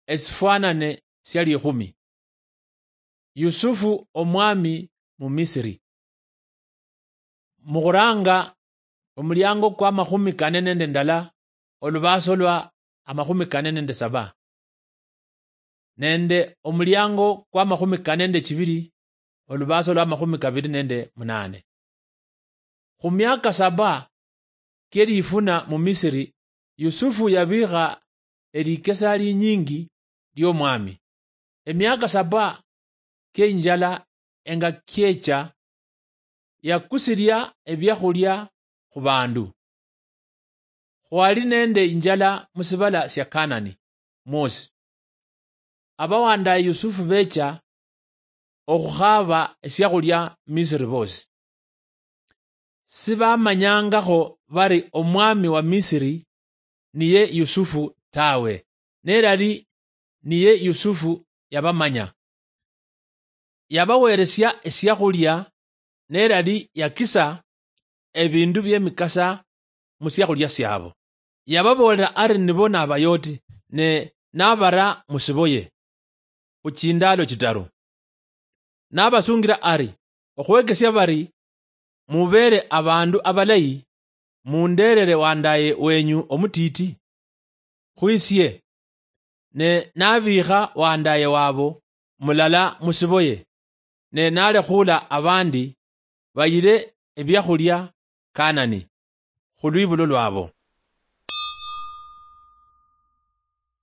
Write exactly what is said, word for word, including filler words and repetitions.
Esifwanane sia likhumi. Yusufu omwami mu Misiri. Mukhuranga omuliango kwa makhumi kane nende ndala, olubaso lwa amakhumi kane nende saba, nende omuliango kwa makhumi kane nende chibiri, olubaso lwa makhumi kabiri nende munane. Khu miaka saba kie lifuna mu Misiri, Yusufu yabikha elikesa linyingi liomwami. Emiaka saba kie injala enga kiecha, yakusilia ebiakhulia khu bandu. Khwali nende injala musibala sia Kanani mwosi. Abawandaye Yusufu becha okhukhaaba esiakhulia Misiri bosi. Sibamanyangakho bari omwami wa Misiri niye Yusufu tawe, nelali niye Yusufu yabamanya. Yabaweresia esiakhulia, nelali yakisa ebindu biemikasa musiakhulia siabo. Yababoolera ari nibo nabayoti, ne nabara musiboye khu chindaalo chitaru. Nabasungira ari, okhwekesia bari mubeere abandu abalayi, munderere wandaye wenyu omutiti khwisie. Ne nabiikha wandaye wabo mulala musiboye, ne nalekhula abandi bayire ebiakhulia Kanani khulwibulo lwabo.